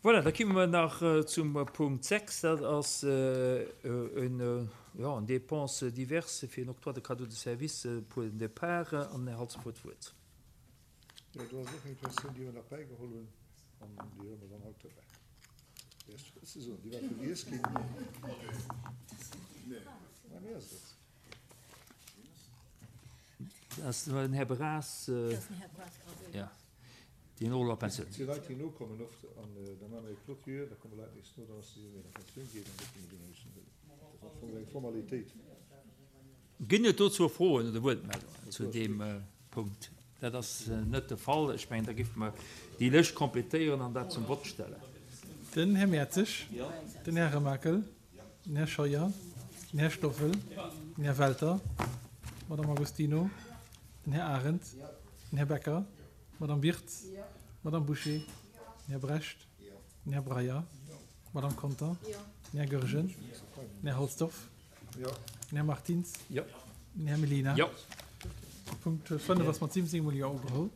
Voilà, da komme mer nach zum Punkt 6. Dat ass en, jo, en Dépenses diverses fir en Octroi de cadeau de service pour den Départ. An den Här Halsdorf huet d'Wuert. Jo, do ass och eng Persoun, déi mer nach bäigeholl hunn, an déi huele mer dann haut dobäi. Déi ass ze soen, déi war vergiess ginn. Mä wéi ass et? Dat ass den Här Bras. Jo, deen och elo a Pensioun. Et si Leit, déi nokommen oft, an da maache mer eng Clôture, da komme Leit nees no, dann ass déi Summi an Pensioun geet, an da kënne mer déi nach mussen huelen. Dat ass am Fong eng Formalitéit. Ginn et dozou Froen oder Wuertmeldungen zu deem Punkt? Dat ass net de Fall. Ech mengen, da géife mer déi Lëscht completéieren an dat zum Vott stellen. Den Här Mertzig, den Här Remakel, den Här Scheuer, den Här Stoffel, den Här Welter, d'Madame Agostino, den Här Arendt, den Här Becker, d'Madame Wirtz, d'Madame Bouché, den Här Brecht, den Här Breyer, d'Madame Conter, den Här Goergen, den Här Halsdorf, Den Här Martins. Jo. Den Här Mellina. Jo. Punkt 5 ass mat 17 mol Jo ugeholl.